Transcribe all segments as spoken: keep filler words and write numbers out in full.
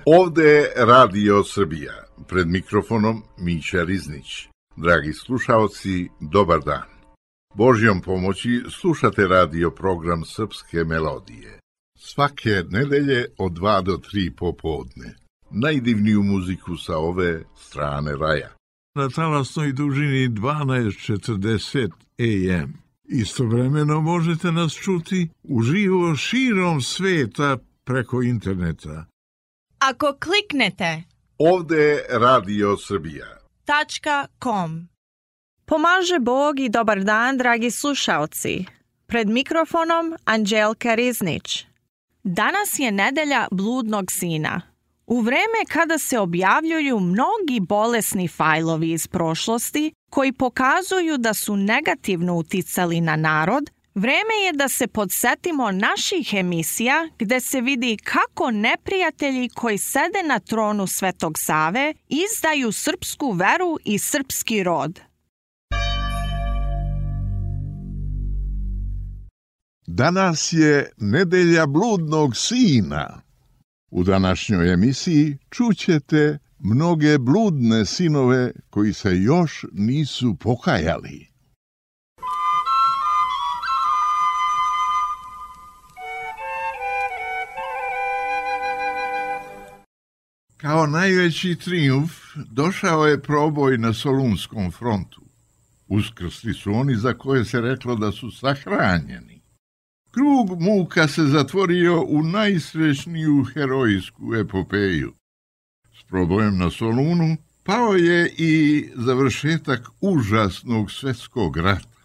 Ovde je Radio Srbija, pred mikrofonom Mića Riznić. Dragi slušaoci, dobar dan. Božjom pomoći slušate radio program Srpske melodije. Svake nedelje od dva do tri popodne. Najdivniju muziku sa ove strane raja. Na talasnoj dužini dvanaest četrdeset A M. Istovremeno možete nas čuti uživo širom sveta preko interneta. Ako kliknete Ovde je Radio Srbija. .com. Pomaže Bog i dobar dan, dragi slušaoci. Pred mikrofonom Anđelka Riznić. Danas je nedelja bludnog sina. U vreme kada se objavljuju mnogi bolesni fajlovi iz prošlosti koji pokazuju da su negativno uticali na narod, vreme je da se podsetimo naših emisija gde se vidi kako neprijatelji koji sede na tronu Svetog Save izdaju srpsku veru i srpski rod. Danas je nedelja bludnog sina. U današnjoj emisiji čućete mnoge bludne sinove koji se još nisu pokajali. Kao najveći trijumf došao je proboj na Solunskom frontu. Uskrsli su oni za koje se reklo da su sahranjeni. Krug muka se zatvorio u najsrećniju herojsku epopeju. S probojem na Solunu pao je i završetak užasnog svjetskog rata.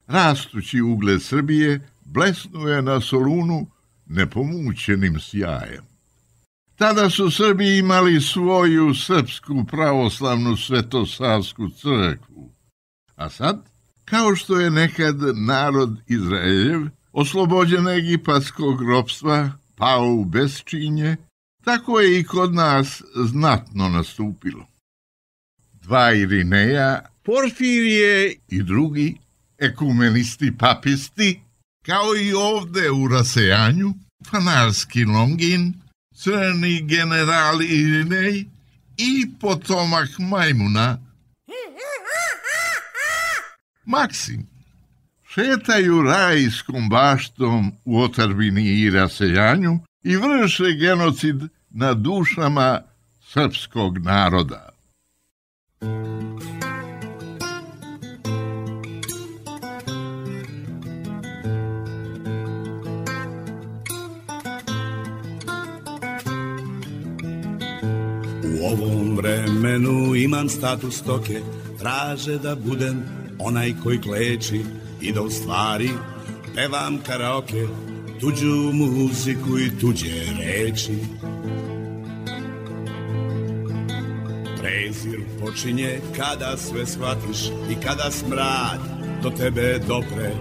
Rastući ugled Srbije blesnuo je na Solunu nepomućenim sjajem. Tada su Srbi imali svoju srpsku pravoslavnu svetosavsku crkvu. A sad, kao što je nekad narod Izraeljev oslobođen egipatskog ropstva, pao u besčinje, tako je i kod nas znatno nastupilo. Dva Irineja, Porfirije i drugi ekumenisti papisti, kao i ovde u rasejanju, Fanarski Longin, crni general Irinej i potomak Majmuna, Maksim, šetaju rajskom baštom u otadžbini i rasejanju i vrše genocid na dušama srpskog naroda. U ovom vremenu imam status stoke, traže da budem onaj koji kleči i da u stvari pevam karaoke, tuđu muziku i tuđe reči. Prezir počinje kada sve shvatiš i kada smrad do tebe dopre,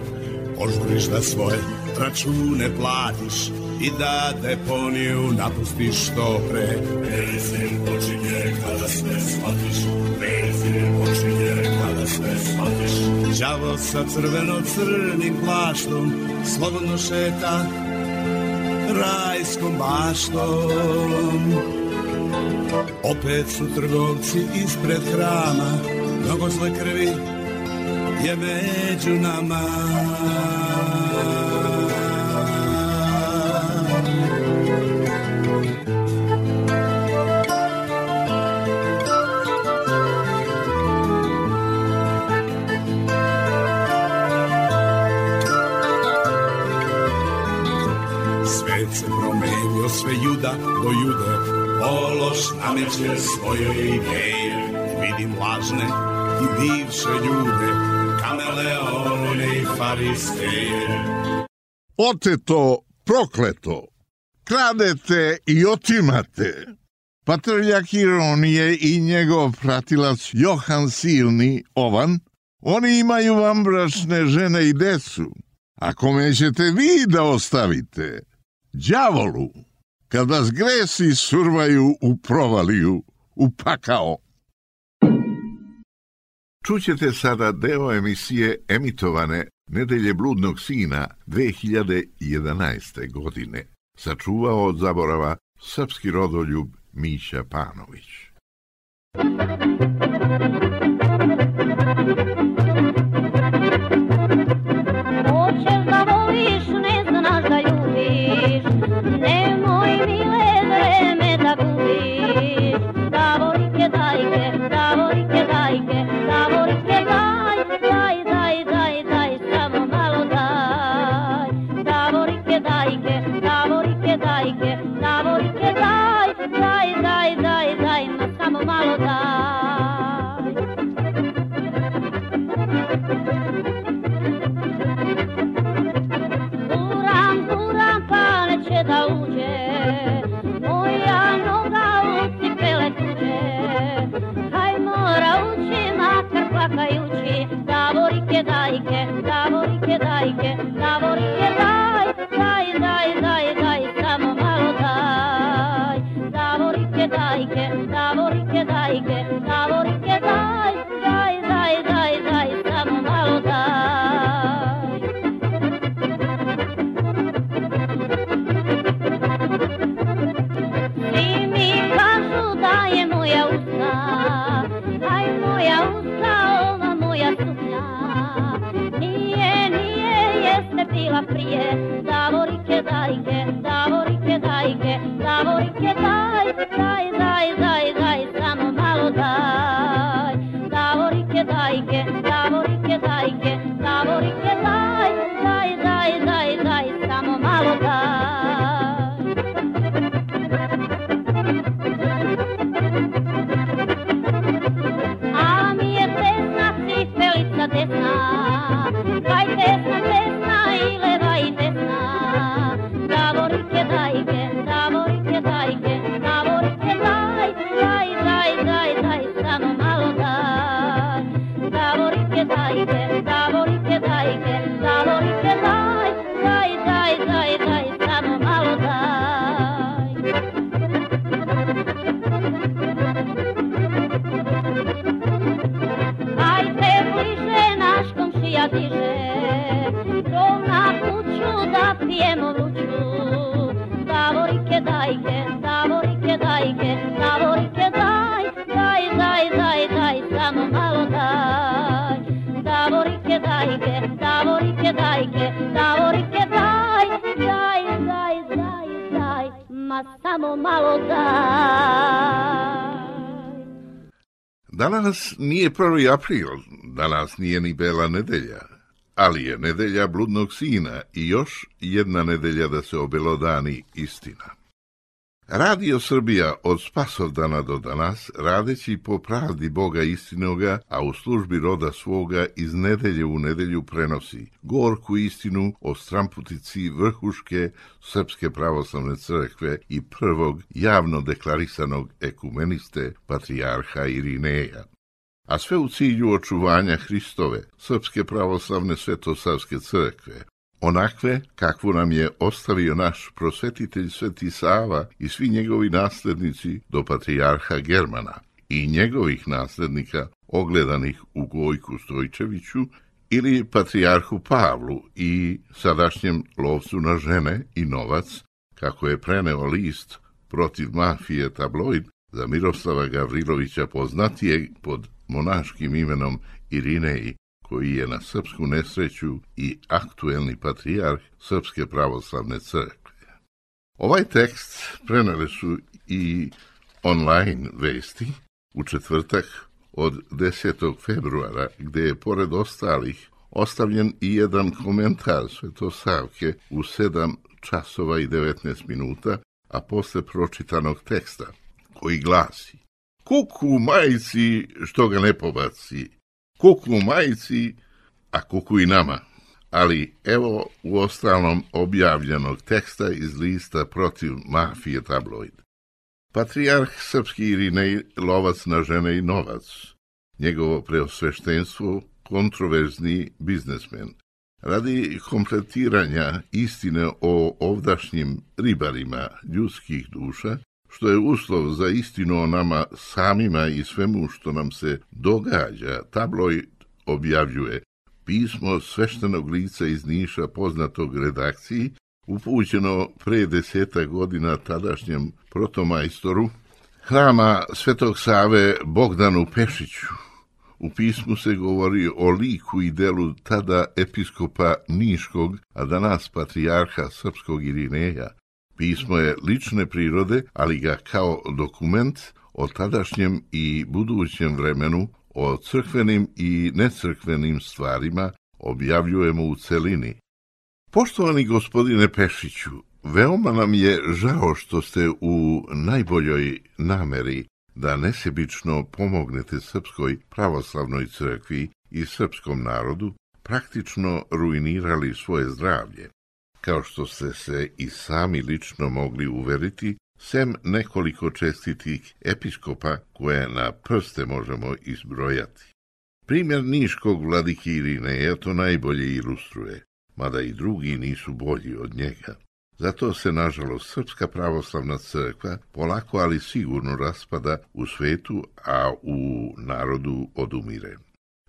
požuriš da svoje račune platiš i da deponiju napustiš što pre. Prezir počinje kada sve shvatiš, prezir počinje kada sve shvatiš. Đavo sa crveno-crnim plaštom slobodno šeta rajskom baštom. Opet su trgovci ispred hrama, mnogo zle krvi je među nama. Se promenio sve juda do jude, ološ nameće svoje ideje. Vidim lažne i bivše ljude, kameleone i faristeje. Oteto, prokleto, kradete i otimate. Patrljak Ironije i njegov pratilac Johan Silni Ovan, oni imaju vam bračne žene i decu. A kome ćete vi da ostavite? Đavolu, kad vas gresi survaju u provaliju, u pakao. Čućete sada deo emisije emitovane Nedelje bludnog sina dve hiljade jedanaeste. godine. Sačuvao od zaborava srpski rodoljub Miša Panović. Hoćeš da voliš, ne znaš da ljubiš, nemoj mile vreme da gubiš. Davorike dajke, davorike dajke, davorike daj, daj, daj, daj, daj, samo malo daj. Davorike dajke, davorike dajke, davorike daj, daj, daj, daj, daj, ma samo malo daj. Da uđe moja noga u cipele tuđe, haj mora ući makar plakajući. Davorike dajke, davorike dajke, davorike daj, daj, daj, daj, daj, samo malo daj. Davorike dajke, davorike dajke, davorike daj, daj, daj, daj, daj, samo malo daj. Moja usta, aj moja usta, ova moja suknja. Nije, nije, jeste bila prije. Davorike dajke, davorike dajke, davorike daj, daj, daj, daj, daj, samo malo daj. Davorike dajke, davorike dajke, davorike daj, daj, daj, daj, daj, samo malo daj. Desna, kaj desna, desna i leva i desna. Davorike dajke, davorike dajke, davorike daj, daj, daj, daj, daj, samo malo daj. Davorike dajke, davorike dajke, davorike daj, daj, daj, daj, daj, samo malo daj. Ajde bliže, naš komšija diže, krov na kuću da pijemo vruću. Davorike dajke, davorike dajke, davorike daj, daj, daj, daj, daj, samo malo daj. Davorike dajke, davorike dajke, davorike daj, daj, daj, daj, daj, ma samo malo daj. Danas nije prvi april, danas nije ni Bela nedelja, ali je nedelja bludnog sina i još jedna nedelja da se obelodani istina. Radio Srbija od Spasovdana do danas, radeći po pravdi Boga istinoga, a u službi roda svoga iz nedelje u nedelju prenosi gorku istinu o stramputici vrhuške Srpske pravoslavne crkve i prvog javno deklarisanog ekumeniste patrijarha Irineja. A sve u cilju očuvanja Hristove, Srpske pravoslavne svetosavske crkve, onakve kakvu nam je ostavio naš prosvetitelj Sveti Sava i svi njegovi naslednici do patrijarha Germana i njegovih naslednika ogledanih u Gojku Stojčeviću ili patrijarhu Pavlu i sadašnjem lovcu na žene i novac, kako je preneo list protiv mafije Tabloid za Miroslava Gavrilovića, poznatijeg pod monaškim imenom Irinej, koji je na srpsku nesreću i aktuelni patrijarh Srpske pravoslavne crkve. Ovaj tekst preneli su i online vesti u četvrtak od desetog februara, gde je pored ostalih ostavljen i jedan komentar Svetosavke u sedam časova i devetnaest minuta, a posle pročitanog teksta, koji glasi: kuku majci što ga ne pobaci, kuku majci, a kuku i nama. Ali evo u ostalom objavljenog teksta iz lista protiv mafije Tabloid. Patrijarh srpski Irinej, lovac na žene i novac, njegovo preosveštenstvo, kontroverzni biznesmen. Radi kompletiranja istine o ovdašnjim ribarima ljudskih duša, što je uslov za istinu o nama samima i svemu što nam se događa, Tabloid objavljuje pismo sveštenog lica iz Niša, poznatog redakciji, upućeno pre deseta godina tadašnjem protomajstoru hrama Svetog Save Bogdanu Pešiću. U pismu se govori o liku i delu tada episkopa Niškog, a danas patrijarha srpskog Irineja. Pismo je lične prirode, ali ga kao dokument o tadašnjem i budućem vremenu, o crkvenim i necrkvenim stvarima objavljujemo u celini. Poštovani gospodine Pešiću, veoma nam je žao što ste u najboljoj nameri da nesebično pomognete Srpskoj pravoslavnoj crkvi i srpskom narodu praktično ruinirali svoje zdravlje, kao što ste se i sami lično mogli uveriti, sem nekoliko čestitih episkopa koje na prste možemo izbrojati. Primjer niškog vladike Irineja to najbolje ilustruje, mada i drugi nisu bolji od njega. Zato se, nažalost, Srpska pravoslavna crkva polako, ali sigurno raspada u svetu, a u narodu odumire.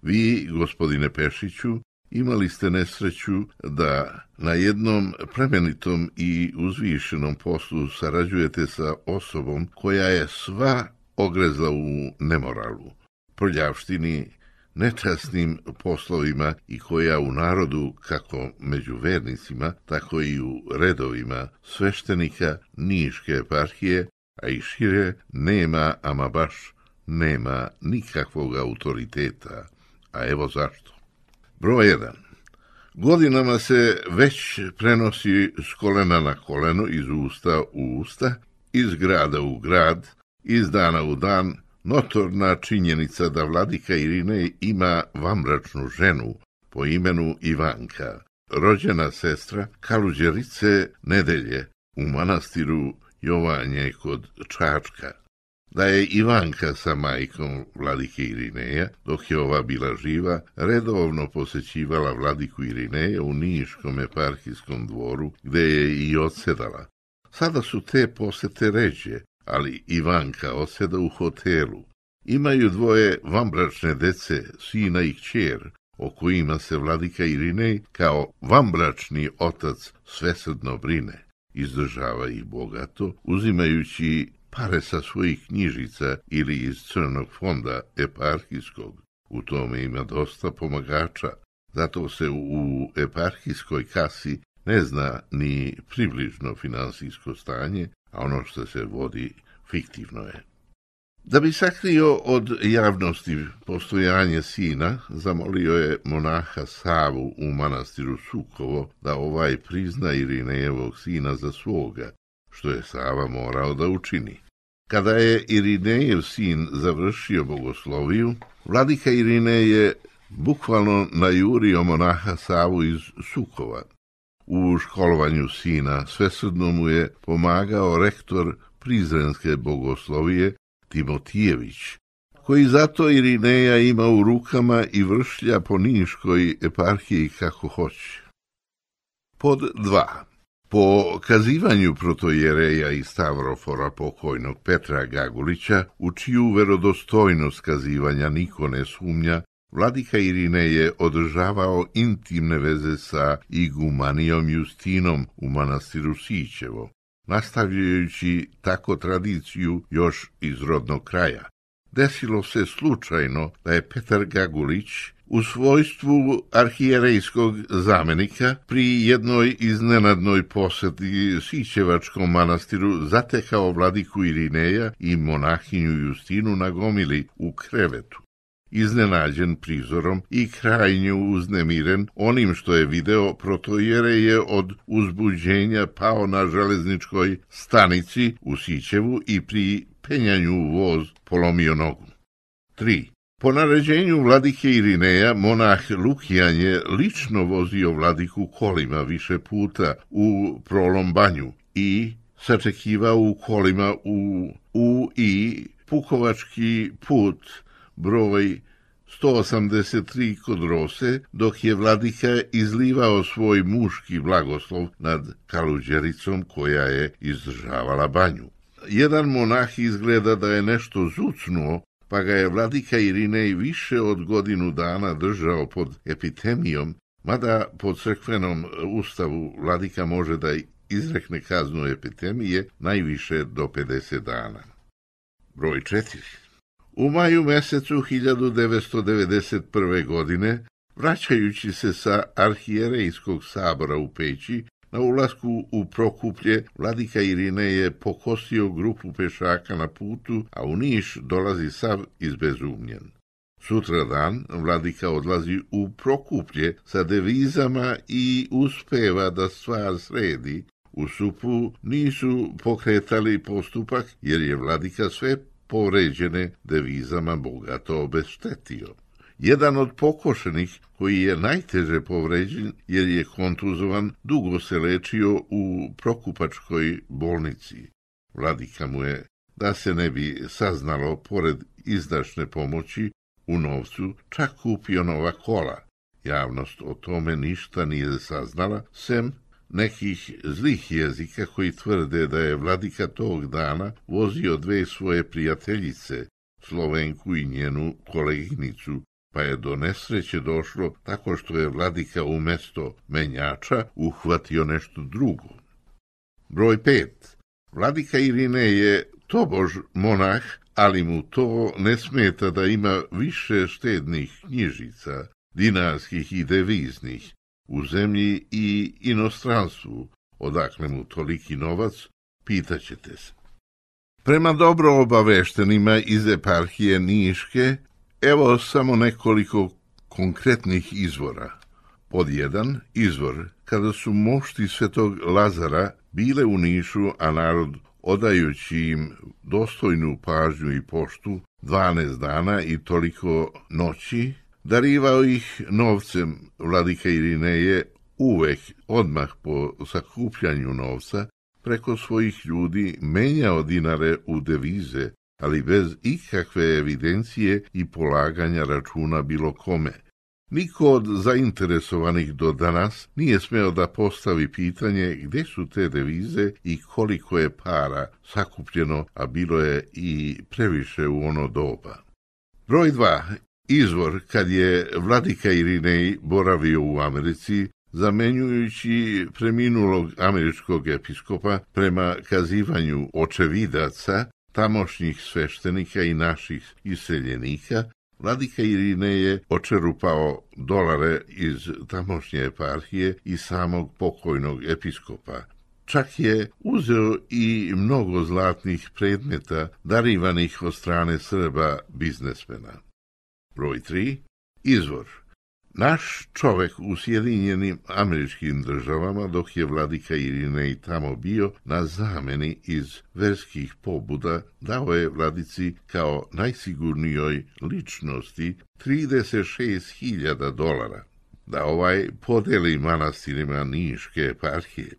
Vi, gospodine Pešiću, imali ste nesreću da na jednom plemenitom i uzvišenom poslu sarađujete sa osobom koja je sva ogrezla u nemoralu, prljavštini, nečasnim poslovima i koja u narodu, kako među vernicima, tako i u redovima sveštenika Niške eparhije, a i šire, nema, ama baš nema nikakvog autoriteta. A evo zašto. Broj jedan. Godinama se već prenosi s kolena na koleno, iz usta u usta, iz grada u grad, iz dana u dan, notorna činjenica da vladika Irinej ima vanbračnu ženu po imenu Ivanka, rođena sestra Kaluđerice Nedelje u manastiru Jovanje kod Čačka. Da je Ivanka sa majkom vladike Irineja, dok je ova bila živa, redovno posećivala vladiku Irineja u Niškom eparhijskom dvoru, gde je i odsedala. Sada su te posete ređe, ali Ivanka oseda u hotelu. Imaju dvoje vanbračne dece, sina i kćer, o kojima se vladika Irinej kao vanbračni otac svesrdno brine. Izdržava ih bogato, uzimajući pare sa svojih knjižica ili iz crnog fonda eparhijskog. U tome ima dosta pomagača, zato se u eparhijskoj kasi ne zna ni približno finansijsko stanje, a ono što se vodi fiktivno je. Da bi sakrio od javnosti postojanje sina, zamolio je monaha Savu u manastiru Sukovo da ovaj prizna Irinejevog sina za svoga, što je Sava morao da učini. Kada je Irinejev sin završio bogosloviju, vladika Irinej je bukvalno najurio monaha Savu iz Sukova. U školovanju sina svesrdno mu je pomagao rektor Prizrenske bogoslovije Timotijević, koji zato Irineja ima u rukama i vršlja po Niškoj eparhiji kako hoće. Pod dva. Po kazivanju protojereja i Stavrofora pokojnog Petra Gagulića, u čiju verodostojnost kazivanja niko ne sumnja, vladika Irinej je održavao intimne veze sa igumanijom Justinom u manastiru Sićevo, nastavljajući tako tradiciju još iz rodnog kraja. Desilo se slučajno da je Petar Gagulić u svojstvu arhijerejskog zamenika pri jednoj iznenadnoj poseti Sićevačkom manastiru zatekao vladiku Irineja i monahinju Justinu na gomili u krevetu. Iznenađen prizorom i krajnje uznemiren onim što je video, protojerej je od uzbuđenja pao na železničkoj stanici u Sićevu i pri penjanju u voz polomio nogu. tri. Po naređenju vladike Irineja, monah Lukijan je lično vozio vladiku kolima više puta u Prolombanju i sačekivao u kolima u, u i Pukovački put broj sto osamdeset tri kod Rose, dok je vladika izlivao svoj muški blagoslov nad Kaluđericom koja je izdržavala banju. Jedan monah izgleda da je nešto zucnuo, pa ga je vladika Irinej više od godinu dana držao pod epitemijom, mada po crkvenom ustavu vladika može da izrekne kaznu epitemije najviše do pedeset dana. Broj četiri. U maju mesecu hiljadu devetsto devedeset prve. godine, vraćajući se sa arhijerejskog sabora u Peći, na ulasku u Prokuplje, vladika Irinej pokosio grupu pešaka na putu, a u Niš dolazi sav izbezumljen. Sutradan vladika odlazi u Prokuplje sa devizama i uspeva da stvar sredi. U Supu nisu pokretali postupak jer je vladika sve povređene devizama bogato obeštetio. Jedan od pokošenih, koji je najteže povređen jer je kontuzovan, dugo se lečio u Prokupačkoj bolnici. Vladika mu je, da se ne bi saznalo, pored izdašne pomoći u novcu, čak kupio nova kola. Javnost o tome ništa nije saznala, sem nekih zlih jezika koji tvrde da je vladika tog dana vozio dve svoje prijateljice, Slovenku i njenu koleginicu, pa je do nesreće došlo tako što je vladika umjesto menjača uhvatio nešto drugo. Broj pet. Vladika Irinej je tobož monah, ali mu to ne smeta da ima više štednih knjižica, dinarskih i deviznih, u zemlji i inostranstvu. Odakle mu toliki novac, pitaćete se. Prema dobro obaveštenima iz eparhije Niške, evo samo nekoliko konkretnih izvora. Pod jedan, izvor kada su mošti svetog Lazara bile u Nišu, a narod, odajući im dostojnu pažnju i poštu, dvanaest dana i toliko noći, darivao ih novcem. Vladika Irinej uvek odmah po sakupljanju novca preko svojih ljudi menjao dinare u devize, ali bez ikakve evidencije i polaganja računa bilo kome. Niko od zainteresovanih do danas nije smeo da postavi pitanje gde su te devize i koliko je para sakupljeno, a bilo je i previše u ono doba. Broj dva. Izvor kad je vladika Irinej boravio u Americi, zamenjujući preminulog američkog episkopa prema kazivanju očevidaca, tamošnjih sveštenika i naših iseljenika, vladika Irinej je očerupao dolare iz tamošnje eparhije i samog pokojnog episkopa. Čak je uzeo i mnogo zlatnih predmeta darivanih od strane Srba biznesmena. Broj tri. Izvor. Naš čovek u Sjedinjenim Američkim Državama, dok je vladika Irinej tamo bio na zameni iz verskih pobuda, dao je vladici kao najsigurnijoj ličnosti trideset šest hiljada dolara, da ovaj podeli manastirima Niške eparhije.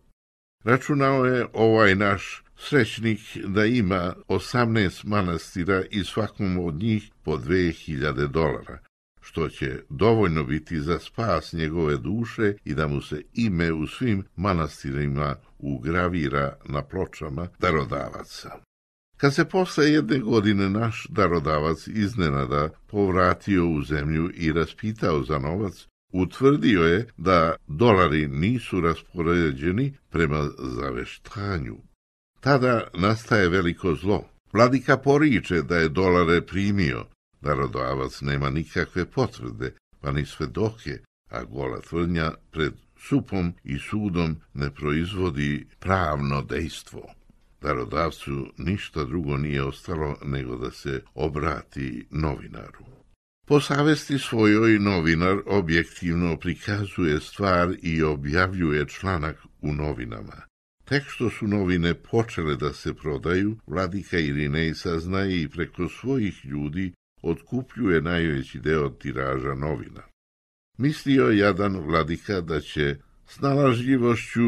Računao je ovaj naš srećnik da ima osamnaest manastira i svakom od njih po dve hiljade dolara, što će dovoljno biti za spas njegove duše i da mu se ime u svim manastirima ugravira na pločama darodavaca. Kad se posle jedne godine naš darodavac iznenada povratio u zemlju i raspitao za novac, utvrdio je da dolari nisu raspoređeni prema zaveštanju. Tada nastaje veliko zlo. Vladika poriče da je dolare primio. Darodavac nema nikakve potvrde, pa ni svedoke, a gola tvrdnja pred supom i sudom ne proizvodi pravno dejstvo. Darodavcu ništa drugo nije ostalo nego da se obrati novinaru. Po savesti svojoj novinar objektivno prikazuje stvar i objavljuje članak u novinama. Tek što su novine počele da se prodaju, vladika Irinej saznaje i preko svojih ljudi otkupljuje najveći deo tiraža novina. Mislio jadan vladika da će snalažljivošću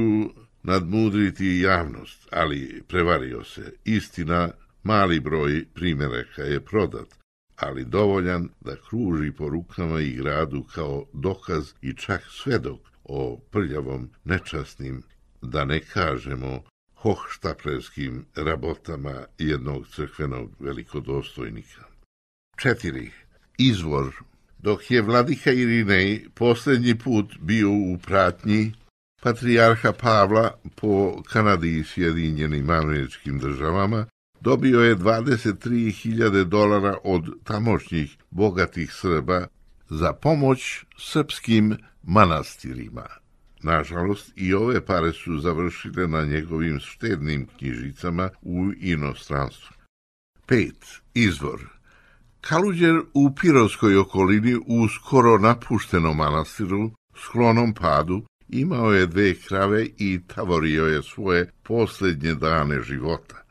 nadmudriti javnost, ali prevario se. Istina, mali broj primjeraka je prodat, ali dovoljan da kruži po rukama i gradu kao dokaz i čak svedok o prljavom, nečasnim, da ne kažemo hohštaplerskim rabotama jednog crkvenog velikodostojnika. Četiri. Izvor. Dok je vladika Irinej posljednji put bio u pratnji patrijarha Pavla po Kanadi i Sjedinjenim Američkim Državama, dobio je dvadeset tri hiljade dolara od tamošnjih bogatih Srba za pomoć srpskim manastirima. Nažalost, i ove pare su završile na njegovim štednim knjižicama u inostranstvu. Pet. Izvor. Kaluđer u Pirovskoj okolini u skoro napuštenom manastiru, sklonom padu, imao je dve krave i tavorio je svoje posljednje dane života.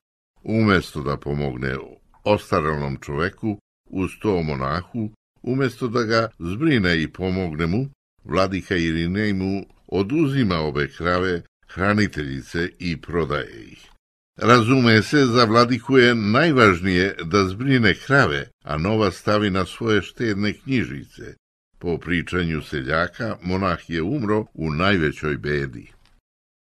Umjesto da pomogne ostarelom čoveku uz to monahu, umjesto da ga zbrine i pomogne mu, vladika Irinej mu oduzima obe krave, hraniteljice i prodaje ih. Razume se, za vladiku je najvažnije da zbrine krave, a nova stavi na svoje štedne knjižice. Po pričanju seljaka, monah je umro u najvećoj bedi.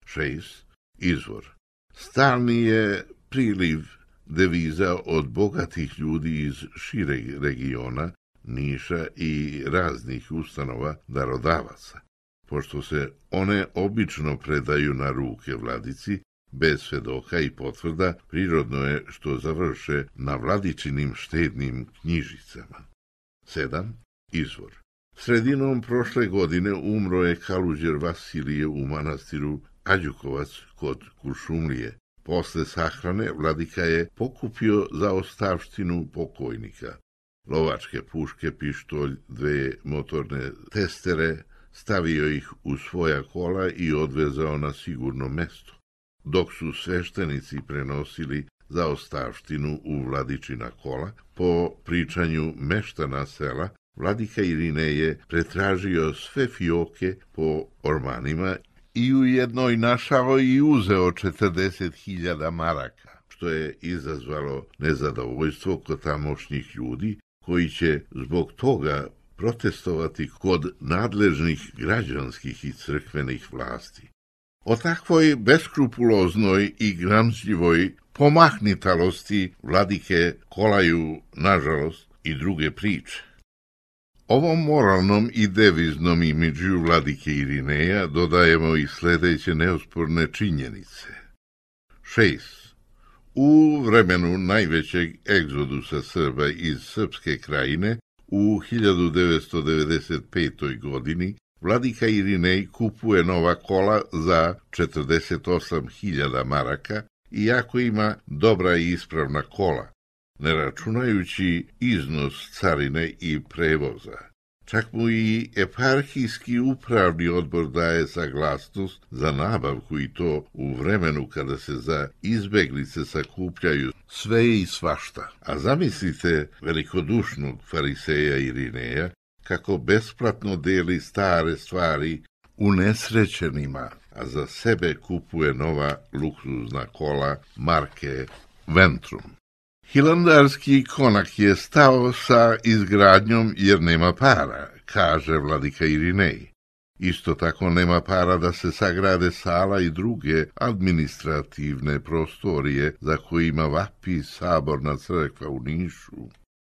Šest. Izvor. Stalni je priliv deviza od bogatih ljudi iz šireg regiona, Niša i raznih ustanova darodavaca. Pošto se one obično predaju na ruke vladici, bez svedoka i potvrda, prirodno je što završe na vladičinim štednim knjižicama. Sedam. Izvor. Sredinom prošle godine umro je kaluđer Vasilije u manastiru Ađukovac kod Kuršumlije. Posle sahrane vladika je pokupio za ostavštinu pokojnika lovačke puške, pištolj, dve motorne testere, stavio ih u svoja kola i odvezao na sigurno mesto. Dok su sveštenici prenosili zaostavštinu u vladičina kola, po pričanju meštana sela, vladika Irinej je pretražio sve fioke po ormanima i u jednoj našao i uzeo četrdeset hiljada maraka, što je izazvalo nezadovoljstvo kod tamošnjih ljudi, koji će zbog toga protestovati kod nadležnih građanskih i crkvenih vlasti. O takvoj beskrupuloznoj i gramzljivoj pomahnitalosti vladike kolaju, nažalost, i druge priče. Ovom moralnom i deviznom imidžu vladike Irineja dodajemo i sljedeće neosporne činjenice. Šest. U vremenu najvećeg egzodusa Srba iz Srpske krajine u hiljadu devetsto devedeset petoj godini vladika Irinej kupuje nova kola za četrdeset osam hiljada maraka, iako ima dobra i ispravna kola, ne računajući iznos carine i prevoza. Čak mu i eparhijski upravni odbor daje saglasnost za nabavku, i to u vremenu kada se za izbeglice sakupljaju sve i svašta. A zamislite velikodušnog fariseja Irineja kako besplatno deli stare stvari unesrećenima, a za sebe kupuje nova luksuzna kola marke Ventrum. Hilandarski konak je stao sa izgradnjom jer nema para, kaže vladika Irinej. Isto tako nema para da se sagrade sala i druge administrativne prostorije za kojima vapi saborna crkva u Nišu,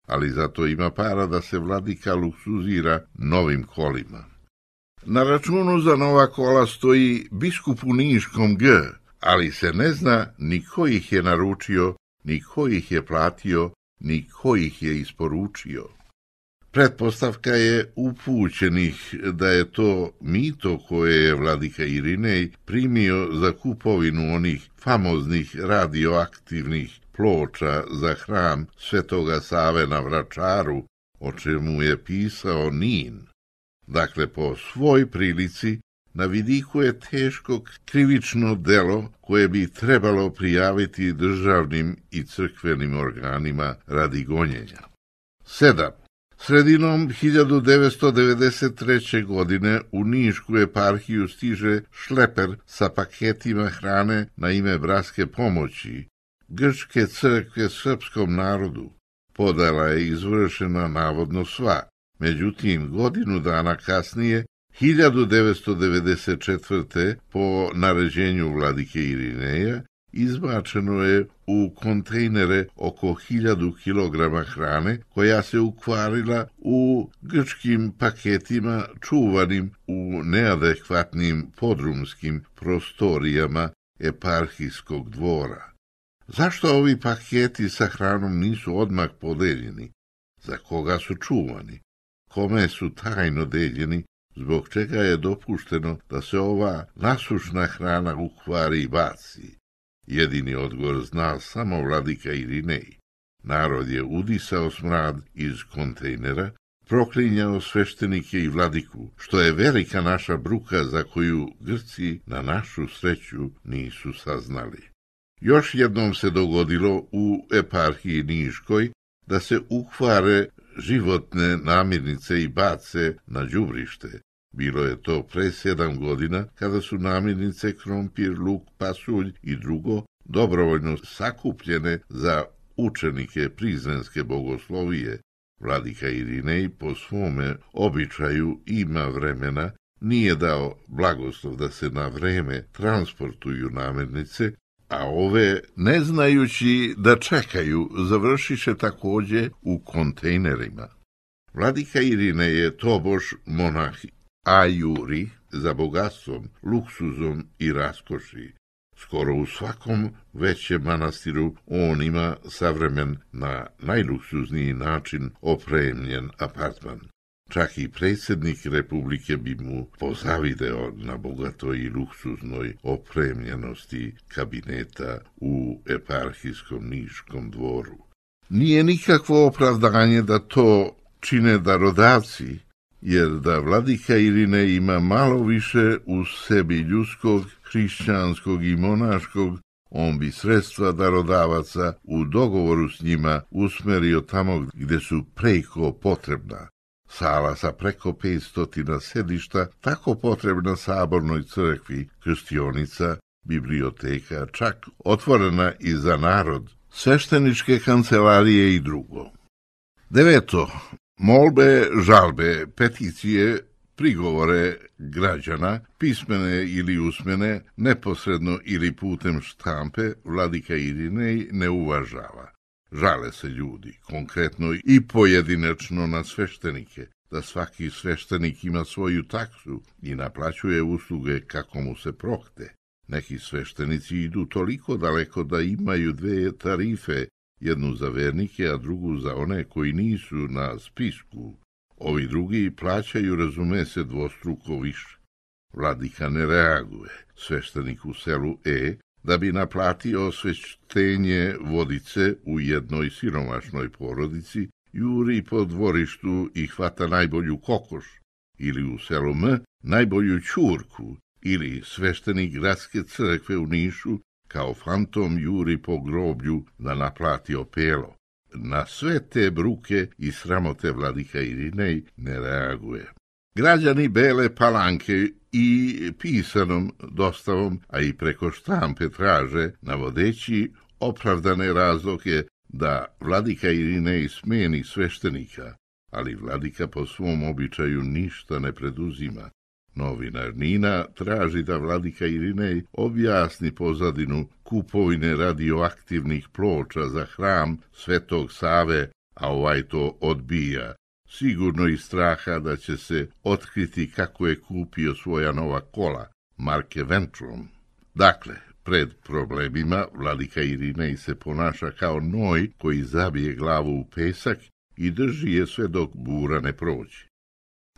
ali zato ima para da se vladika luksuzira novim kolima. Na računu za nova kola stoji biskup u Niškom G, ali se ne zna ni ko ih je naručio, ni ko ih je platio, ni ko ih je isporučio. Pretpostavka je upućenih da je to mito koje je vladika Irinej primio za kupovinu onih famoznih radioaktivnih ploča za hram Svetoga Save na Vračaru, o čemu je pisao Nin. Dakle, po svoj prilici, na vidiku je teško krivično delo koje bi trebalo prijaviti državnim i crkvenim organima radi gonjenja. Sedam. Sredinom hiljadu devetsto devedeset treće. godine u Nišku eparhiju stiže šleper sa paketima hrane na ime bratske pomoći Grčke crkve srpskom narodu. Podela je izvršena navodno sva. Međutim, godinu dana kasnije, hiljadu devetsto devedeset četvrte. po naređenju vladike Irineja, izbačeno je u kontejnere oko hiljadu kilograma hrane koja se ukvarila u grčkim paketima čuvanim u neadekvatnim podrumskim prostorijama eparhijskog dvora. Zašto ovi paketi sa hranom nisu odmah podeljeni? Za koga su čuvani? Kome su tajno deljeni? Zbog čega je dopušteno da se ova nasušna hrana ukvari i baci? Jedini odgovor zna samo vladika Irinej. Narod je udisao smrad iz kontejnera, proklinjao sveštenike i vladiku, što je velika naša bruka za koju Grci na našu sreću nisu saznali. Još jednom se dogodilo u eparhiji Niškoj da se ukvare životne namirnice i bace na đubrište. Bilo je to pre sedam godina kada su namirnice krompir, luk, pasulj i drugo dobrovoljno sakupljene za učenike Prizrenske bogoslovije. Vladika Irinej po svome običaju ima vremena, nije dao blagoslov da se na vreme transportuju namirnice, a ove, ne znajući da čekaju, završiše takođe u kontejnerima. Vladika Irinej je tobož monah ajuri za bogatstvom, luksuzom i raskoši. Skoro u svakom većem manastiru on ima savremen na najluksuzniji način opremljen apartman. Čak i predsjednik Republike bi mu pozavideo na bogatoj i luksuznoj opremljenosti kabineta u eparhijskom Niškom dvoru. Nije nikakvo opravdanje da to čine darodavci, jer da vladika Irinej ima malo više u sebi ljudskog, hrišćanskog i monaškog, on bi sredstva darodavaca u dogovoru s njima usmerio tamo gde su preko potrebna. Sala sa preko petstotina sedišta, tako potrebna sabornoj crkvi, krstionica, biblioteka, čak otvorena i za narod, svešteničke kancelarije i drugo. Deveto. Molbe, žalbe, peticije, prigovore građana, pismene ili usmene, neposredno ili putem štampe, vladika Irinej ne uvažava. Žale se ljudi, konkretno i pojedinačno na sveštenike, da svaki sveštenik ima svoju taksu i naplaćuje usluge kako mu se prohte. Neki sveštenici idu toliko daleko da imaju dve tarife, jednu za vernike, a drugu za one koji nisu na spisku. Ovi drugi plaćaju, razume se, dvostruko više. Vladika ne reaguje. Sveštenik u selu E, da bi naplatio osveštenje vodice u jednoj siromašnoj porodici, juri po dvorištu i hvata najbolju kokoš, ili u selu M najbolju ćurku, ili sveštenik gradske crkve u Nišu kao fantom juri po groblju da naplati opelo. Na sve te bruke i sramote vladika Irinej ne reaguje. Građani Bele Palanke i pisanom dostavom, a i preko štampe traže, navodeći opravdane razloge da vladika Irinej smeni sveštenika, ali vladika po svom običaju ništa ne preduzima. Novinar Nina traži da vladika Irinej objasni pozadinu kupovine radioaktivnih ploča za hram Svetog Save, a ovaj to odbija, sigurno iz straha da će se otkriti kako je kupio svoja nova kola, marke Ventrum. Dakle, pred problemima vladika Irinej se ponaša kao noj koji zabije glavu u pesak i drži je sve dok bura ne prođe.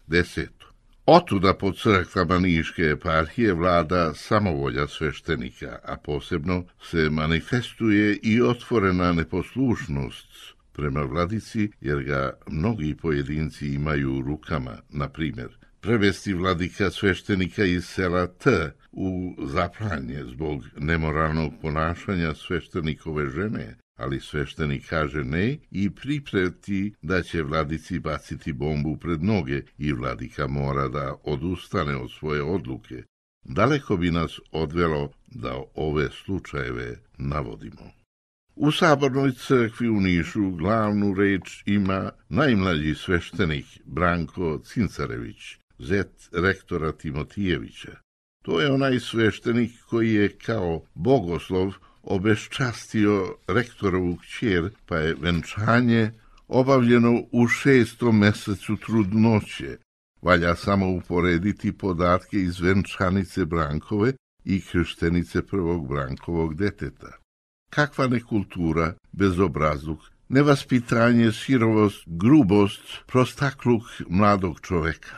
Deseto. Otuda po crkvama Niške eparhije vlada samovolja sveštenika, a posebno se manifestuje i otvorena neposlušnost prema vladici, jer ga mnogi pojedinci imaju u rukama, na primjer, prevesti vladika sveštenika iz sela T u zaplanje zbog nemoralnog ponašanja sveštenikove žene, ali sveštenik kaže ne i pripreti da će vladici baciti bombu pred noge i vladika mora da odustane od svoje odluke. Daleko bi nas odvelo da ove slučajeve navodimo. U sabornoj crkvi u Nišu glavnu reč ima najmlađi sveštenik Branko Cincarević, zet rektora Timotijevića. To je onaj sveštenik koji je kao bogoslov obeščastio rektorovu kćer, pa je venčanje obavljeno u šestom mesecu trudnoće. Valja samo uporediti podatke iz venčanice Brankove i krštenice prvog Brankovog deteta. Kakva nekultura, bezobrazluk, nevaspitanje, sirovost, grubost, prostakluk mladog čoveka.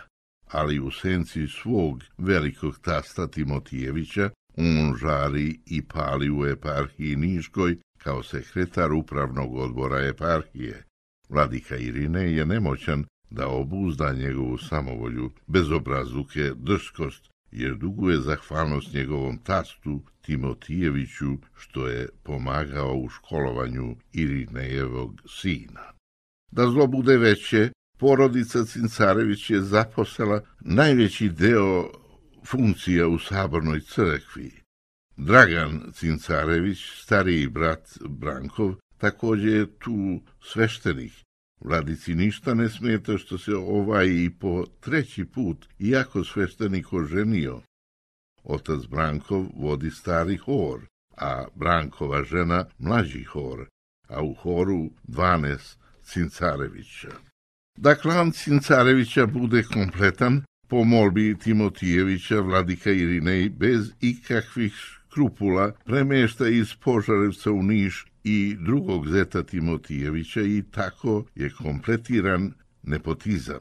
Ali u senci svog velikog tasta Timotijevića on žari i pali u eparhiji Niškoj kao sekretar upravnog odbora eparhije. Vladika Irinej je nemoćan da obuzda njegovu samovolju, bezobrazluke, drskost, jer duguje zahvalnost njegovom tastu Timotijeviću, što je pomagao u školovanju Irinejevog sina. Da zlo bude veće, porodica Cincarević je zaposela najveći deo funkcija u sabornoj crkvi. Dragan Cincarević, stariji brat Brankov, također je tu sveštenik. Vladici ništa ne smeta što se ovaj i po treći put, iako sveštenik oženio. Otac Brankov vodi stari hor, a Brankova žena mlađi hor, a u horu dvanaest Cincarevića. Da klan Cincarevića bude kompletan, po molbi Timotijevića vladika Irinej bez ikakvih skrupula premješta iz Požarevca u Niš i drugog zeta Timotijevića i tako je kompletiran nepotizam.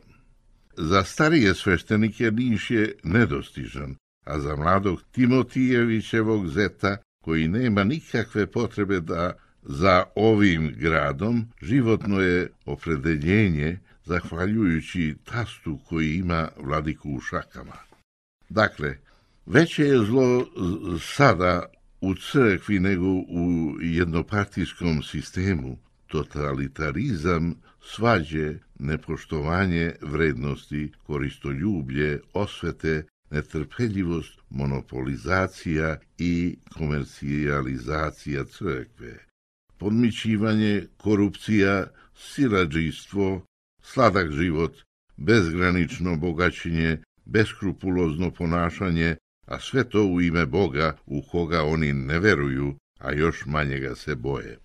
Za starije sveštenike Niš je nedostižan, a za mladog Timotijevićevog zeta, koji nema nikakve potrebe da za ovim gradom, životno je opredeljenje, zahvaljujući tastu koji ima vladiku u šakama. Dakle, veće je zlo sada u crkvi nego u jednopartijskom sistemu, totalitarizam, svađe, nepoštovanje vrednosti, koristoljublje, osvete, netrpeljivost, monopolizacija i komercijalizacija crkve, podmićivanje, korupcija, siledžijstvo, sladak život, bezgranično bogaćenje, beskrupulozno ponašanje, a sve to u ime Boga u koga oni ne veruju, a još manje ga se boje.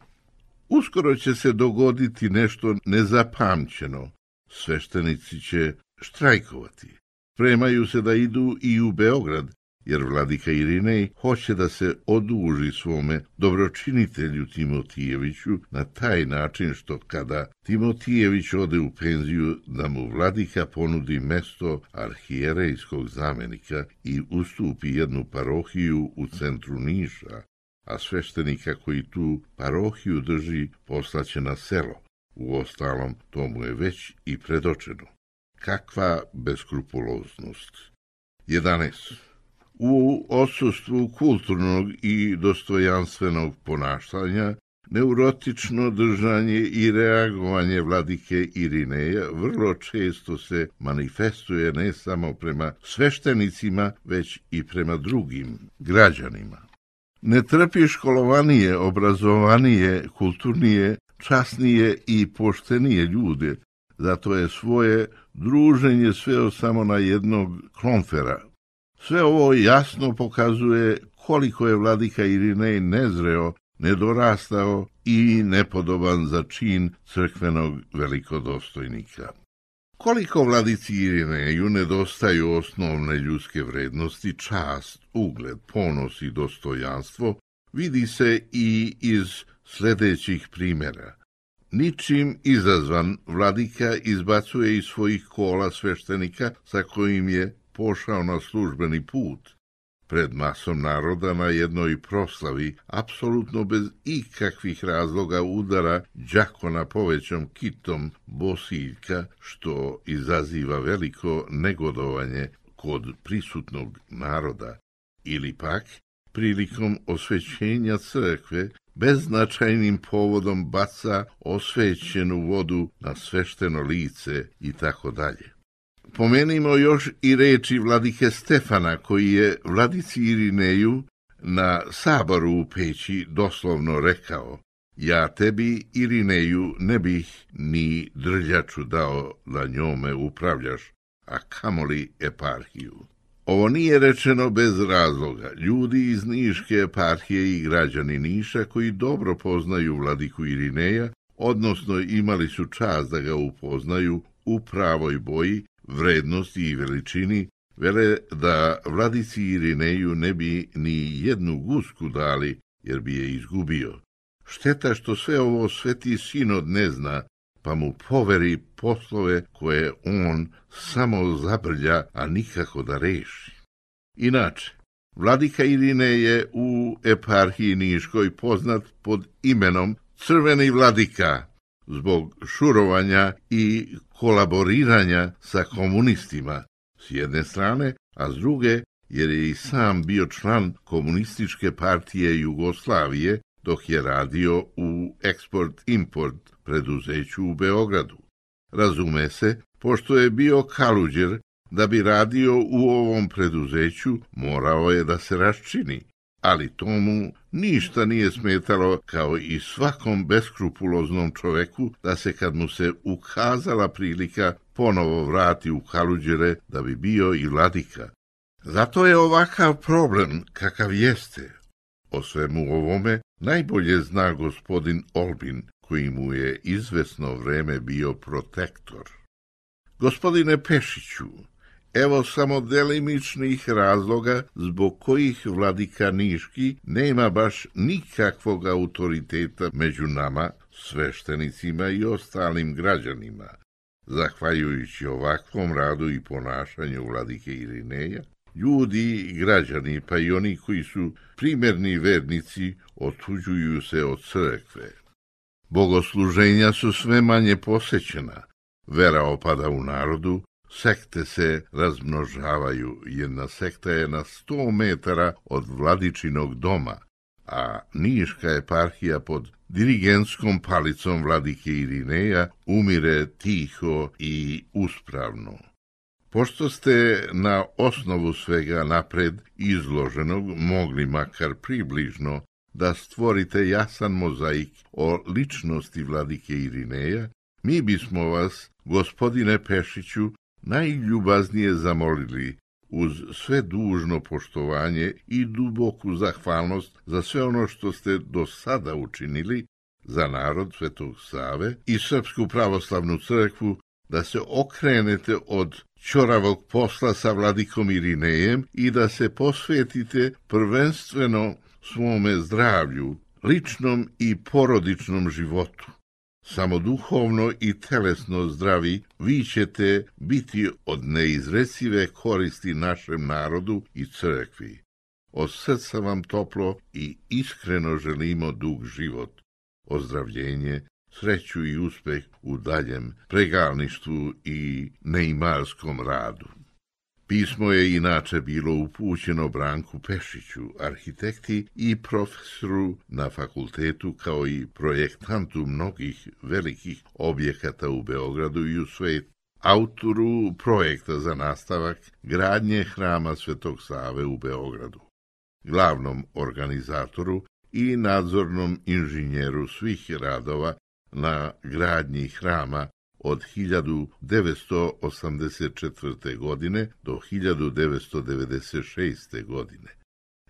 Uskoro će se dogoditi nešto nezapamćeno. Sveštenici će štrajkovati. Spremaju se da idu i u Beograd, jer vladika Irinej hoće da se oduži svome dobročinitelju Timotijeviću na taj način što kada Timotijević ode u penziju da mu vladika ponudi mesto arhijerejskog zamenika i ustupi jednu parohiju u centru Niša, a sveštenika koji tu parohiju drži poslaće na selo. Uostalom, to mu je već i predočeno. Kakva beskrupuloznost. jedanaest. U odsustvu kulturnog i dostojanstvenog ponašanja, neurotično držanje i reagovanje vladike Irineja vrlo često se manifestuje ne samo prema sveštenicima, već i prema drugim građanima. Ne trpi školovanije, obrazovanije, kulturnije, časnije i poštenije ljude, zato je svoje druženje sveo samo na jednog klomfera. Sve ovo jasno pokazuje koliko je vladika Irinej nezreo, nedorastao i nepodoban za čin crkvenog velikodostojnika. Koliko vladici Irineju nedostaju osnovne ljudske vrednosti, čast, ugled, ponos i dostojanstvo, vidi se i iz sljedećih primjera. Ničim izazvan vladika izbacuje iz svojih kola sveštenika sa kojim je pošao na službeni put. Pred masom naroda na jednoj proslavi, apsolutno bez ikakvih razloga udara đakona povećom kitom bosiljka, što izaziva veliko negodovanje kod prisutnog naroda, ili pak prilikom osvećenja crkve beznačajnim povodom baca osvećenu vodu na svešteno lice i tako dalje. Pomenimo još i reči vladike Stefana, koji je vladici Irineju na saboru u Peći doslovno rekao: ja tebi, Irineju, ne bih ni drljaču dao da njome upravljaš, a kamoli eparhiju. Ovo nije rečeno bez razloga. Ljudi iz Niške eparhije i građani Niša koji dobro poznaju vladiku Irineja, odnosno imali su čast da ga upoznaju u pravoj boji, vrednosti i veličini, vele da vladici Irineju ne bi ni jednu gusku dali, jer bi je izgubio. Šteta što sve ovo Sveti Sinod ne zna, pa mu poveri poslove koje on samo zabrlja, a nikako da reši. Inače, vladika Irine je u eparhiji Niškoj poznat pod imenom Crveni vladika zbog šurovanja i kolaboriranja sa komunistima s jedne strane, a s druge jer je i sam bio član Komunističke partije Jugoslavije dok je radio u eksport-import preduzeću u Beogradu. Razume se, pošto je bio kaluđer, da bi radio u ovom preduzeću morao je da se raščini, ali tomu ništa nije smetalo, kao i svakom beskrupuloznom čoveku, da se kad mu se ukazala prilika ponovo vrati u kaluđere da bi bio i vladika. Zato je ovakav problem kakav jeste. O svemu ovome najbolje zna gospodin Olbin, koji mu je izvesno vreme bio protektor. Gospodine Pešiću, evo samo delimičnih razloga zbog kojih vladika Niški nema baš nikakvog autoriteta među nama, sveštenicima i ostalim građanima. Zahvaljujući ovakvom radu i ponašanju vladike Irineja, ljudi i građani, pa i oni koji su primjerni vernici, otuđuju se od crkve. Bogosluženja su sve manje posećena, vera opada u narodu, sekte se razmnožavaju, jedna sekta je na sto metara od vladičinog doma, a Niška eparhija pod dirigentskom palicom vladike Irineja umire tiho i uspravno. Pošto ste na osnovu svega napred izloženog mogli makar približno da stvorite jasan mozaik o ličnosti vladike Irineja, mi bismo vas, gospodine Pešiću, najljubaznije zamolili uz sve dužno poštovanje i duboku zahvalnost za sve ono što ste do sada učinili za narod Svetog Save i Srpsku pravoslavnu crkvu, da se okrenete od ćoravog posla sa vladikom Irinejem i da se posvetite prvenstveno svome zdravlju, ličnom i porodičnom životu. Samo duhovno i telesno zdravi vi ćete biti od neizrecive koristi našem narodu i crkvi. Od srca vam toplo i iskreno želimo dug život, ozdravljenje, sreću i uspeh u daljem pregalništvu i neimarskom radu. Pismo je inače bilo upućeno Branku Pešiću, arhitekti i profesoru na fakultetu, kao i projektantu mnogih velikih objekata u Beogradu i u svetu, autoru projekta za nastavak gradnje hrama Svetog Save u Beogradu, glavnom organizatoru i nadzornom inženjeru svih radova na gradnji hrama od hiljadu devetsto osamdeset četvrte. godine do hiljadu devetsto devedeset šeste. godine.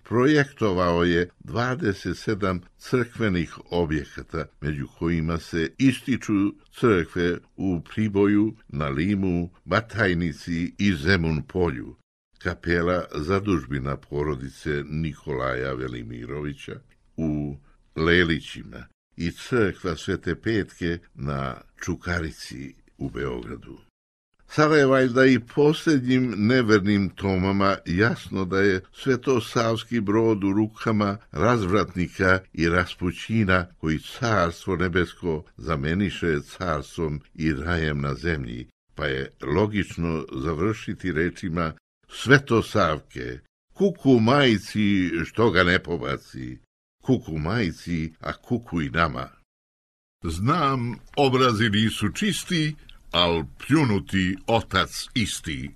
Projektovao je dvadeset sedam crkvenih objekata, među kojima se ističu crkve u Priboju, na Limu, Batajnici i Zemun polju, kapela zadužbina porodice Nikolaja Velimirovića u Lelićima i crkva Svete Petke na Čukarici u Beogradu. Sada je valjda i posljednjim nevernim tomama jasno da je Svetosavski brod u rukama razvratnika i raspućina koji carstvo nebesko zameniše carstvom i rajem na zemlji, pa je logično završiti rečima Svetosavke, kuku majci što ga ne pobaci, kuku majci, a kuku i nama. Znam, obrazi nisu čisti, al pljunuti otac isti.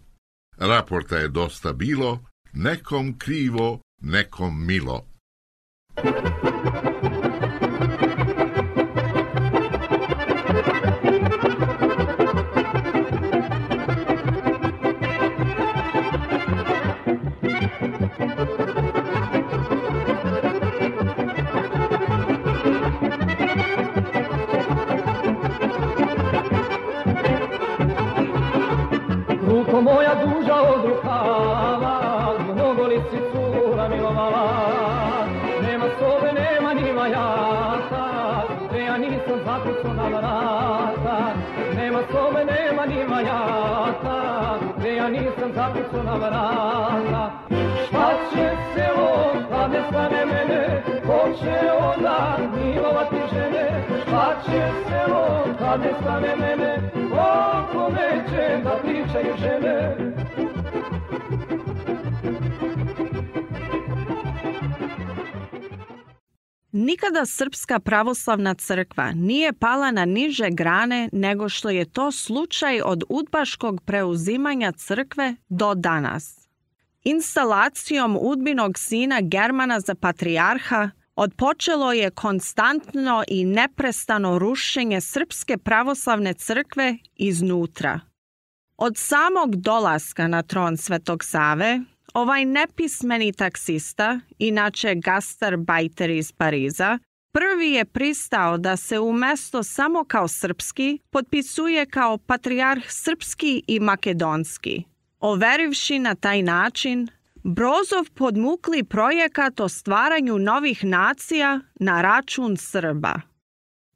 Raporta je dosta bilo, nekom krivo, nekom milo. Ruko moja duža od rukava, mnogo lisicu namilovala, nema sobe, nema ni vajaka, nisam zakucao na vrata, nema sobe, nema ni vajata, gde ja nisam zakucao na vrata. Šta će se on kad ne stane mene, ko će onda milovati žene? Šta će se on kad ne stane mene, o kome će da pričaju žene? Nikada Srpska pravoslavna crkva nije pala na niže grane nego što je to slučaj od udbaškog preuzimanja crkve do danas. Instalacijom udbinog sina Germana za patrijarha odpočelo je konstantno i neprestano rušenje Srpske pravoslavne crkve iznutra. Od samog dolaska na tron Svetog Save, ovaj nepismeni taksista, inače gastarbajter iz Pariza, prvi je pristao da se umesto samo kao srpski potpisuje kao patrijarh srpski i makedonski, overivši na taj način Brozov podmukli projekat o stvaranju novih nacija na račun Srba.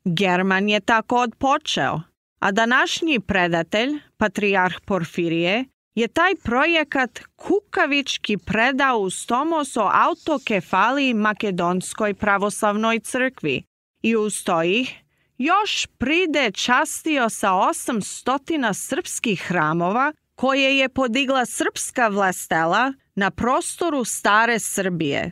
German je tako odpočeo, a današnji predatelj, patrijarh Porfirije, je taj projekat kukavički predao uz tomos o autokefaliji Makedonskoj pravoslavnoj crkvi i uz to ih još pride častio sa osam stotina srpskih hramova koje je podigla srpska vlastela na prostoru stare Srbije.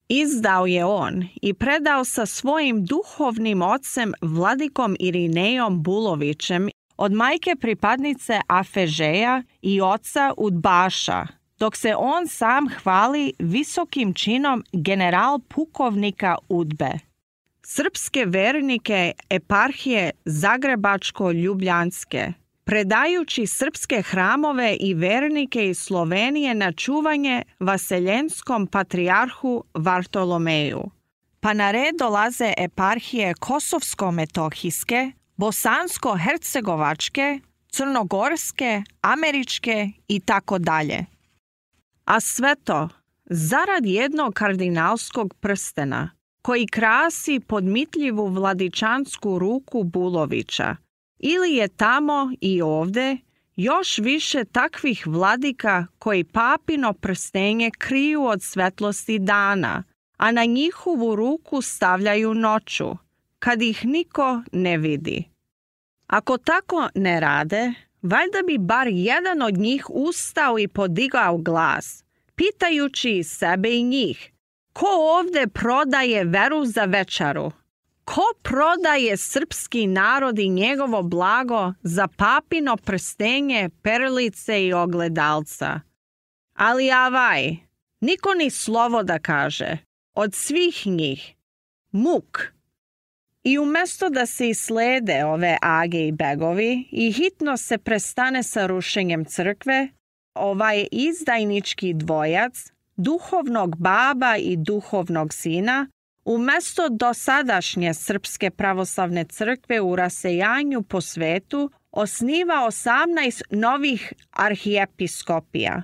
Izdao je on i predao sa svojim duhovnim ocem vladikom Irinejom Bulovićem od majke pripadnice Afežeja i oca Udbaša, dok se on sam hvali visokim činom general pukovnika Udbe. Srpske vernike eparhije Zagrebačko-Ljubljanske, predajući srpske hramove i vernike iz Slovenije na čuvanje vaseljenskom patrijarhu Vartolomeju. Pa na red dolaze eparhije Kosovsko-metohijske, Bosansko-hercegovačke, Crnogorske, Američke i tako dalje. A sve to zarad jednog kardinalskog prstena koji krasi podmitljivu vladičansku ruku Bulovića, ili je tamo i ovde još više takvih vladika koji papino prstenje kriju od svetlosti dana, a na njihovu ruku stavljaju noću, kad ih niko ne vidi. Ako tako ne rade, valjda bi bar jedan od njih ustao i podigao glas, pitajući sebe i njih, ko ovde prodaje veru za večaru? Ko prodaje srpski narod i njegovo blago za papino prstenje, perlice i ogledalca? Ali avaj, niko ni slovo da kaže, od svih njih, muk. I umesto da se islede ove age i begovi i hitno se prestane sa rušenjem crkve, ovaj izdajnički dvojac, duhovnog baba i duhovnog sina, umesto dosadašnje Srpske pravoslavne crkve u rasejanju po svetu, osniva osamnaest novih arhijepiskopija.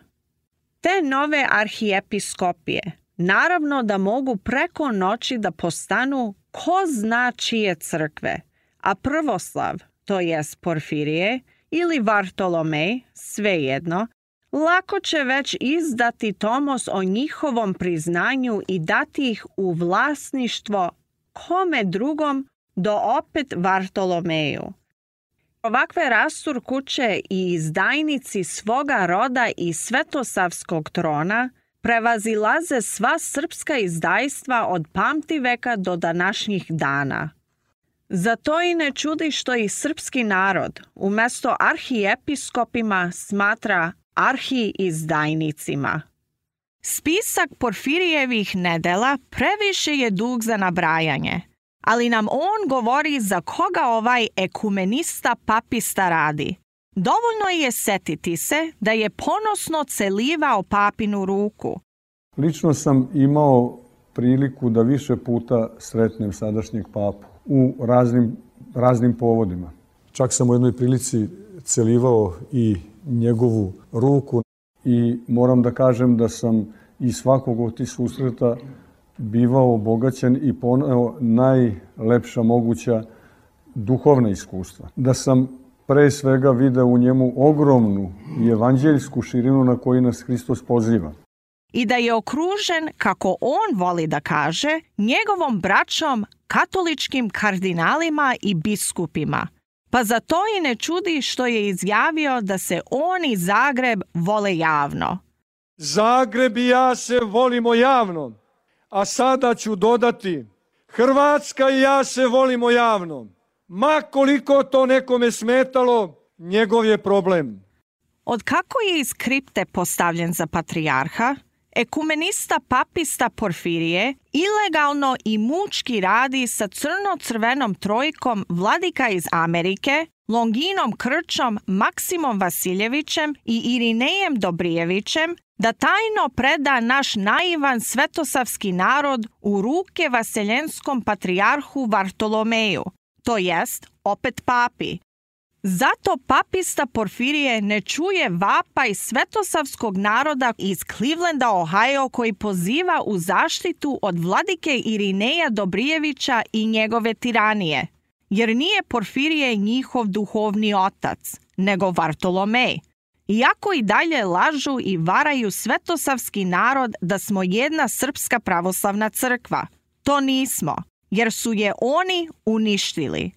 Te nove arhijepiskopije naravno da mogu preko noći da postanu ko zna čije crkve, a prvoslav, to jest Porfirije, ili Vartolomej, svejedno, lako će već izdati tomos o njihovom priznanju i dati ih u vlasništvo kome drugom do opet Vartolomeju. Ovakve rasturkuće i izdajnici svoga roda i svetosavskog trona prevazilaze sva srpska izdajstva od pamtiveka do današnjih dana. Zato i ne čudi što i srpski narod umesto arhijepiskopima smatra arhiizdajnicima. Spisak Porfirijevih nedela previše je dug za nabrajanje, ali nam on govori za koga ovaj ekumenista papista radi. Dovoljno je setiti se da je ponosno celivao papinu ruku. Lično sam imao priliku da više puta sretnem sadašnjeg papu u raznim, raznim povodima. Čak sam u jednoj prilici celivao i njegovu ruku i moram da kažem da sam iz svakog od tih susreta bivao obogaćen i poneo najlepša moguća duhovna iskustva, da sam pre svega video u njemu ogromnu i evanđeljsku širinu na koju nas Hristos poziva. I da je okružen, kako on voli da kaže, njegovom braćom, katoličkim kardinalima i biskupima. Pa zato i ne čudi što je izjavio da se on i Zagreb vole javno. Zagreb i ja se volimo javno, a sada ću dodati, Hrvatska i ja se volimo javno. Ma koliko to nekome smetalo, njegov je problem. Od kako je iz kripte postavljen za patrijarha, ekumenista papista Porfirije ilegalno i mučki radi sa crno-crvenom trojkom vladika iz Amerike, Longinom Krčom, Maksimom Vasiljevićem i Irinejem Dobrijevićem, da tajno preda naš naivan svetosavski narod u ruke vaseljenskom patrijarhu Vartolomeju, to jest opet papi. Zato papista Porfirije ne čuje vapaj svetosavskog naroda iz Clevelanda, Ohio, koji poziva u zaštitu od vladike Irineja Dobrijevića i njegove tiranije, jer nije Porfirije njihov duhovni otac, nego Vartolomej. Iako i dalje lažu i varaju svetosavski narod da smo jedna srpska pravoslavna crkva. To nismo, jer su je oni uništili.